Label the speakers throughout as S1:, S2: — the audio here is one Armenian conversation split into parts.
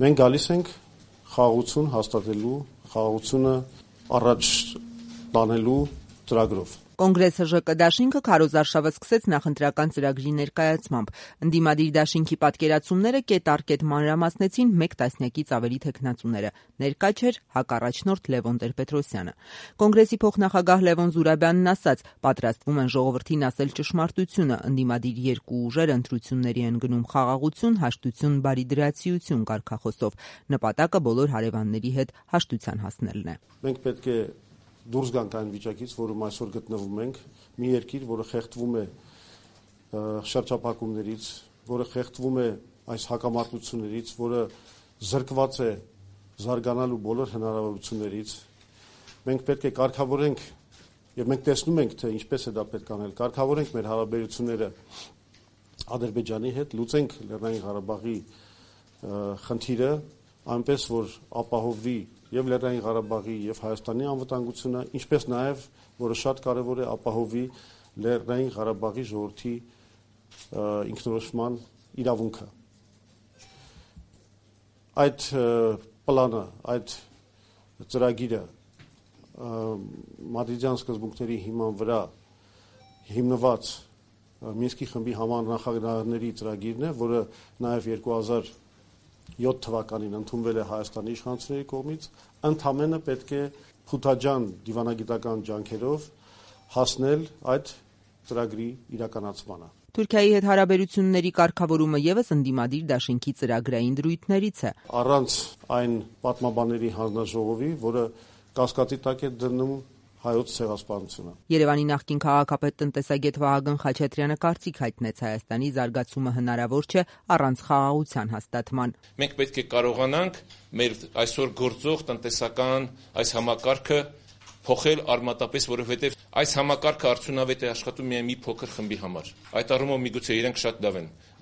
S1: Մենք գալիս ենք խաղաղություն հաստատելու, խաղաղությունը առաջ տանելու ծրագրով։
S2: Կոնգրես ՀԺԿ դաշինքը քարոզարշավը սկսեց նախընտրական ծրագրի ներկայացմամբ։ Ընդդիմադիր դաշինքի պատկերացումները կետ առ կետ մանրամասնեցին մեկ տասնյակից ավելի թեկնածուները։ Ներկա չէր հակառաջնորդ Լևոն Տեր-Պետրոսյանը։ Կոնգրեսի փոխնախագահ Լևոն Զուրաբյանն ասաց, պատրաստվում են ժողովրդին ասել ճշմարտությունը, ընդդիմադիր երկու ուժեր ընտրությունների են գնում խաղաղություն, հաշտություն, բարիդրացիություն կարգախոսով։ Նպատակը բոլոր հարևանների հետ հաշտության հասնելն է։
S1: Մենք պետք է դուրս գանք այն վիճակից, որում այսօր գտնվում ենք, մի երկիր, որը խեղդվում է շրջափակումներից, որը խեղդվում է այս հակամարտություններից, որը զրկված է զարգանալու բոլոր հնարավորություններից։ Մենք պետք է կարգավորենք, եւ մենք տեսնում ենք, թե ինչպես է դա պետք անել, կարգավորենք մեր հարաբերությունները Ադրբեջանի հետ, լուծենք Լեռնային Ղարաբաղի խնդիրը, այնպես որ ապահովվի եւ Լեռնային Ղարաբաղի եւ Հայաստանի անվտանգությունը, ինչպես նաեւ, որը շատ կարեւոր է, ապահովի Լեռնային Ղարաբաղի ժողովրդի ինքնորոշման իրավունքը։ Այդ պլանը, այդ ծրագիրը մադրիդյան սկզբունքների հիման վրա հիմնված Մինսկի խմբի համանախագահների ծրագիրն է, որը նաեւ 2007 թվականին ընդունվել է Հայաստանի իշխանությունների կողմից, ընդամենը պետք է փութաջան դիվանագիտական ջանքերով հասնել այդ ծրագրի իրականացմանը։
S2: Թուրքիայի հետ հարաբերությունների կարգավորումը ևս ընդդիմադիր դաշինքի ծրագրային դրույթներից է։
S1: Առանց այն պատմաբանների հանձնաժողովի, որը կասկածի տակ է դնում հայոց ցեղասպանությունը։
S2: Երևանի նախկին քաղաքապետ տնտեսագետ Վահագն Խաչատրյանը կարծիք հայտնեց, Հայաստանի զարգացումը հնարավոր չէ առանց խաղաղության հաստատման։
S3: Մենք պետք է կարողանանք մեր այսօր գործող տնտեսական այս համակարգը փոխել արմատապես, որովհետև այս համակարգը արդյունավետ է աշխատում միայն մի փոքր խմբի համար։ Այդ առումով միգուցե իրենք շատ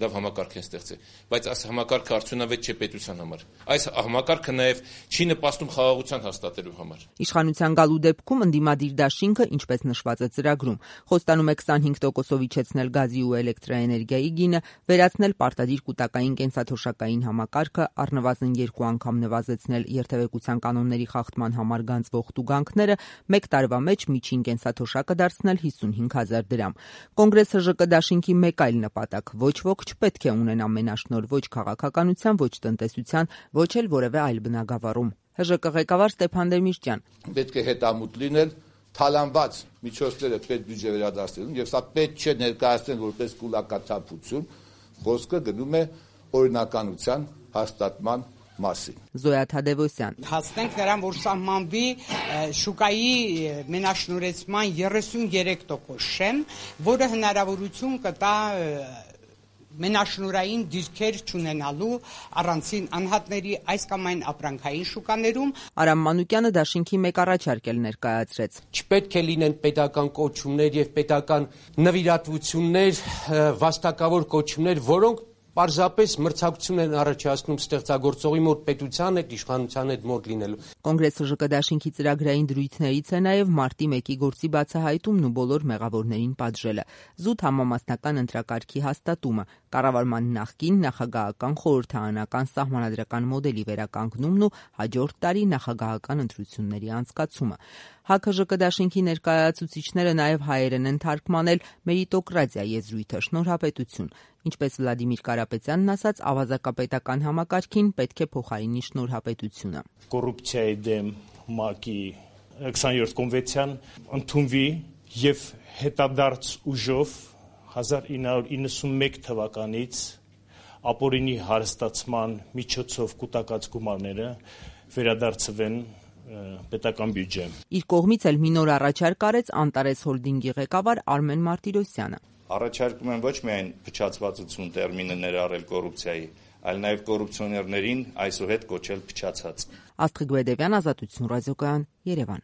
S3: լավ համակարգ են ստեղծել, բայց այս համակարգը արդյունավետ չէ պետության համար։ Այս համակարգը նաև չի նպաստում խաղաղության հաստատելու համար։
S2: Իշխանության գալու դեպքում ընդդիմադիր դաշինքը, ինչպես նշված է ծրագրում, խոստանում է 25%-ով իջեցնել գազի ու էլեկտրաէներգիայի գինը, վերացնել պարտադիր կൂട്ടակային կենսաթոշակային համակարգը, առնվազն 2 անգամ նվազեցնել երթևեկության կանոնների խախտման համար գանձվող տուգանքները, մեկ տարվա մեջ միջին կենսաթոշակը դարձնել 55,000 դրամ։ Կոնգրես ՀԺԿ դաշինքի մեկ այլ նպատակ՝ ոչ ոք չպետք է ունենա մենաշնորհ ոչ քաղաքականության, ոչ տնտեսության, ոչ էլ որևէ այլ բնագավառում։ ՀԺԿ ղեկավար Ստեփան Դեմիրճյան.
S4: Պետք է հետամուտ լինել թալանված միջոցները պետբյուջե վերադարձնելուն, եւ սա պետք չէ ներկայացնել որպես կուլակաթափություն, խոսքը գնում է օրինականության հաստատման մասին։
S2: Զոյա Թադևոսյան.
S5: Հասնենք նրան, որ սահմանվի շուկայի մենաշնորհեցման 33% շեմ, որը հնարավորություն կտա մենաշնորհային դիրքեր չունենալու առանցին անհատների այս կամ այն ապրանքային շուկաներում։
S2: Արամ Մանուկյանը դաշինքի մեկ առաջարկ էլ ներկայացրեց։
S6: Չպետք է լինեն պետական կոչումներ եւ պետական նվիրատվություններ, վաստակավոր կոչումներ, որոնք պարզապես մրցակցություն են առաջացնում ստեղծագործողի մոտ պետության հետ, իշխանության հետ մոտ լինելու։
S2: Կոնգրես ՀԺԿ դաշինքի ծրագրային դրույթներից է նաև մարտի 1-ի գործի բացահայտումն ու բոլոր մեղավորներին պատժելը, զուտ համամասնական ընտրակարգի հաստատումը, կառավարման նախկին նախագահական խորհրդարանական սահմանադրական մոդելի վերականգնումն ու հաջորդ տարի նախագահական ընտրությունների անցկացումը։ ՀԱԿ-ՀԺԿ դաշինքի ներկայացուցիչները նաև հայերեն են թարգմանել մերիտոկրատիա եզրույթը, շնորհապետություն։ Ինչպես Վլադիմիր Կարապետյանն ասաց, ավազակապետական համակարգին պետք է փոխարինի շնորհապետությունը։
S7: Կոռուպցիայի դեմ ՄԱԿ-ի 27 կոնվենցիան ընդունվի եւ հետադարձ ուժով 1991 թվականից ապօրինի հարստացման միջոցով կուտակած գումարները վերադարձվեն պետական բյուջե։
S2: Իր կողմից էլ մի նոր առաջարկ արեց Անտարես հոլդինգի ղեկավար Արմեն Մարտիրոսյանը։
S8: Առաջարկում են ոչ միայն փչացվածություն տերմինը ներառել կոռուպցիայի, այլ նաև կոռուպցիոներներին այսուհետ կոչել փչացած։
S2: Աստղիկ Բեդևյան, Ազատություն ռադիոկայան, Երևան։